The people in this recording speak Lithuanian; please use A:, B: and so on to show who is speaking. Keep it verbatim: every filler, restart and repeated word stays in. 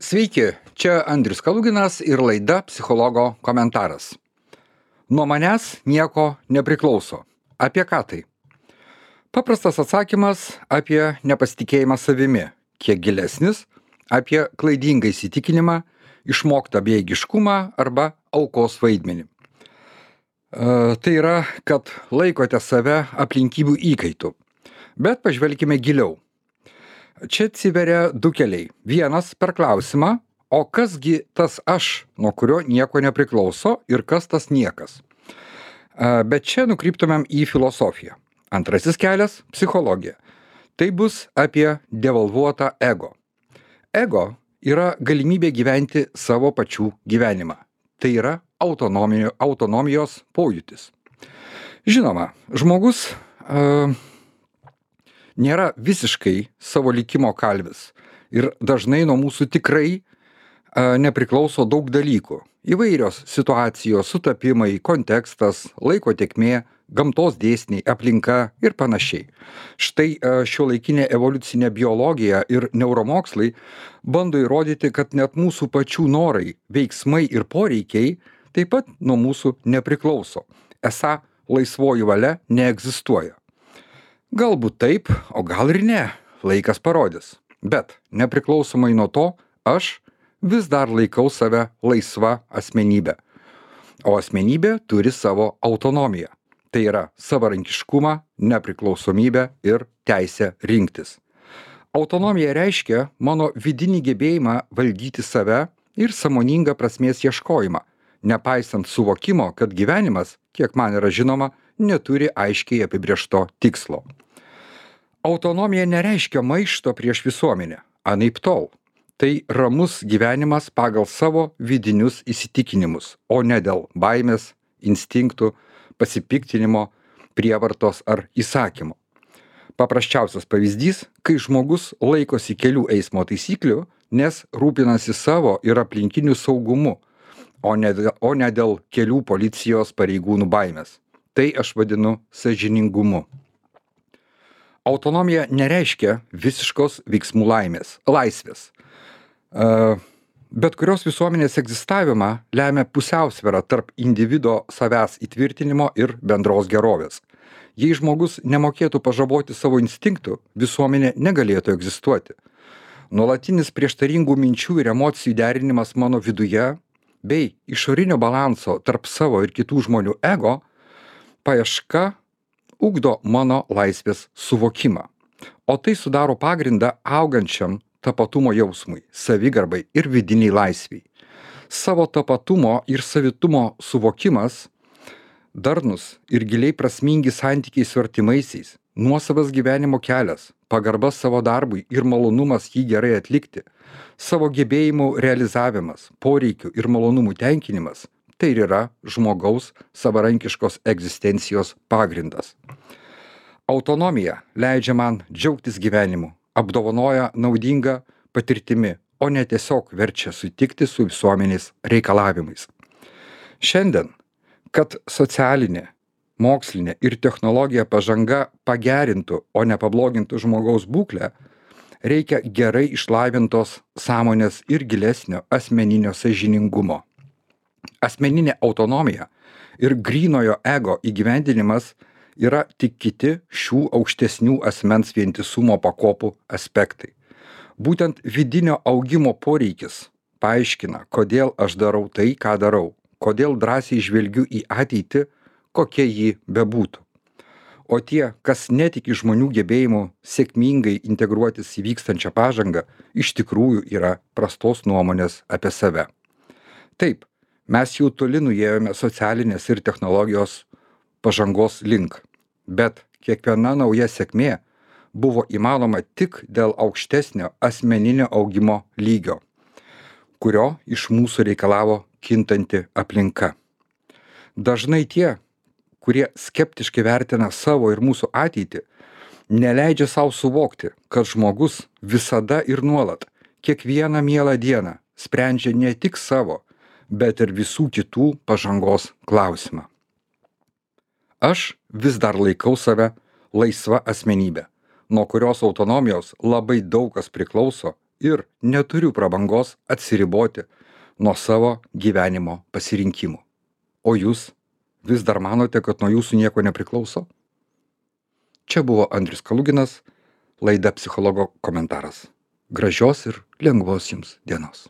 A: Sveiki, čia Andrius Kaluginas ir laida Psichologo komentaras. Nuo manęs nieko nepriklauso. Apie ką tai? Paprastas atsakymas apie nepasitikėjimą savimi, kiek gilesnis apie klaidingą įsitikinimą, išmoktą bejėgiškumą arba aukos vaidmenį. E, tai yra, kad laikote save aplinkybių įkaitu. Bet pažvelkime giliau. Čia atsiveria du keliai. Vienas per klausimą, o kasgi tas aš, nuo kurio nieko nepriklauso ir kas tas niekas. E, Bet čia nukryptumėm į filosofiją. Antrasis kelias - psichologija. Tai bus apie devalvuotą ego. Ego yra galimybė gyventi savo pačių gyvenimą. Tai yra autonomijos, autonomijos pojūtis. Žinoma, žmogus e, nėra visiškai savo likimo kalvis ir dažnai nuo mūsų tikrai e, nepriklauso daug dalykų. Įvairios situacijos, sutapimai, kontekstas, laiko tėkmė, gamtos dėsniai, aplinka ir panašiai. Štai e, šiuolaikinė evoliucinė biologija ir neuromokslai bando įrodyti, kad net mūsų pačių norai, veiksmai ir poreikiai taip pat nuo mūsų nepriklauso. Esą laisvoji valia neegzistuoja. Galbūt taip, o gal ir ne, laikas parodys. Bet nepriklausomai nuo to, aš vis dar laikau save laisva asmenybė. O asmenybė turi savo autonomiją. Tai yra savarankiškumą, nepriklausomybę ir teisę rinktis. Autonomija reiškia mano vidinį gebėjimą valdyti save ir sąmoningą prasmės ieškojimą, nepaisant suvokimo, kad gyvenimas, kiek man yra žinoma, neturi aiškiai apibrėžto tikslo. Autonomija nereiškia maišto prieš visuomenę, anaiptol. Tai ramus gyvenimas pagal savo vidinius įsitikinimus, o ne dėl baimės, instinktų, pasipiktinimo, prievartos ar įsakymo. Paprasčiausias pavyzdys, kai žmogus laikosi kelių eismo taisyklių, nes rūpinasi savo ir aplinkinių saugumu, o ne, o ne dėl kelių policijos pareigūnų baimės. Tai aš vadinu sąžiningumu. Autonomija nereiškia visiškos veiksmų laimės, laisvės. Uh, Bet kurios visuomenės egzistavimą lemia pusiausvėra tarp individo savęs įtvirtinimo ir bendros gerovės. Jei žmogus nemokėtų pažaboti savo instinktų, visuomenė negalėtų egzistuoti. Nuolatinis prieštaringų minčių ir emocijų derinimas mano viduje bei išorinio balanso tarp savo ir kitų žmonių ego paieška ugdo mano laisvės suvokimą. O tai sudaro pagrindą augančiam tapatumo jausmui, savigarbai ir vidiniai laisviai. Savo tapatumo ir savitumo suvokimas, darnus ir giliai prasmingi santykiai su artimaisiais, nuosavas gyvenimo kelias, pagarba savo darbui ir malonumas jį gerai atlikti, savo gebėjimų realizavimas, poreikių ir malonumų tenkinimas - tai ir yra žmogaus savarankiškos egzistencijos pagrindas. Autonomija leidžia man džiaugtis gyvenimu, apdovanoja naudinga patirtimi, o ne tiesiog verčia sutikti su visuomenės reikalavimais. Šiandien, kad socialinė, mokslinė ir technologija pažanga pagerintų, o ne pablogintų žmogaus būklę, reikia gerai išlavintos sąmonės ir gilesnio asmeninio sąžiningumo. Asmeninė autonomija ir grynojo ego įgyvendinimas yra tik kiti šių aukštesnių asmens vientisumo pakopų aspektai. Būtent vidinio augimo poreikis paaiškina, kodėl aš darau tai, ką darau, kodėl drąsiai žvelgiu į ateitį, kokia ji bebūtų. O tie, kas netiki žmonių gebėjimu sėkmingai integruotis į vykstančią pažangą, iš tikrųjų yra prastos nuomonės apie save. Taip, mes jau toli nuėjome socialinės ir technologijos pažangos link. Bet kiekviena nauja sėkmė buvo įmanoma tik dėl aukštesnio asmeninio augimo lygio, kurio iš mūsų reikalavo kintanti aplinka. Dažnai tie, kurie skeptiškai vertina savo ir mūsų ateitį, neleidžia savo suvokti, kad žmogus visada ir nuolat, kiekvieną mielą dieną sprendžia ne tik savo, bet ir visų kitų pažangos klausimą. Aš vis dar laikau save laisva asmenybė, nuo kurios autonomijos labai daug kas priklauso ir neturiu prabangos atsiriboti nuo savo gyvenimo pasirinkimų. O jūs vis dar manote, kad nuo jūsų nieko nepriklauso? Čia buvo Andrius Kaluginas, laida Psichologo komentaras. Gražios ir lengvos jums dienos.